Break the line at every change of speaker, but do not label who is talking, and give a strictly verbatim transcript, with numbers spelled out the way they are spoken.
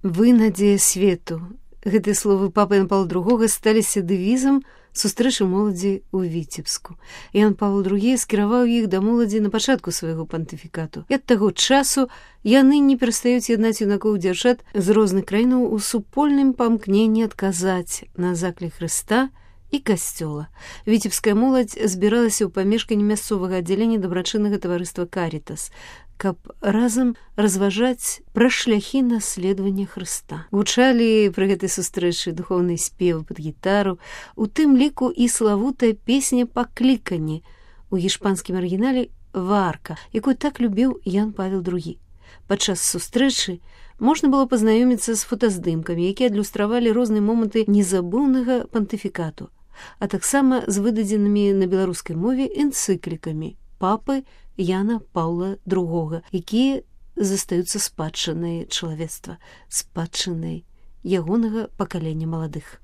Вы надзея свету. Гэтыя словы папы Яна Паўла другога сталіся дэвізам сустрэчы моладзі ў Віцебску. Ян Павел другі скіраваў іх да моладзі на пачатку свайго пантыфікату. І ад таго часу яны не перастаюць яднаць юнакоў дзяўчат з розных краінаў у супольным памкненні адказаць на заклік Хрыста і касцёла. Віцебская моладзь збіралася ў памешканні мясцовага аддзялення дабрачыннага таварыства «Карітас», каб разам разважаць пра шляхі наследавання Хрыста. Гучалі пры гэтай сустрэчы духоўныя спевы пад гітару, у тым ліку і славутая песня «Пакліканні» у гішпанскім арыгінале «Варка», якую так любіў Ян Павел другі. Падчас сустрэчы можна было пазнаёміцца з фотаздымкамі, якія адлюстравалі розныя моманты незабыўнага пантыфікату, а таксама з выдадзенымі на беларускай мове энцыклікамі папы Яна Паўла другога, якія застаюцца спадчынай чалавецтва, спадчынай ягонага пакалення маладых.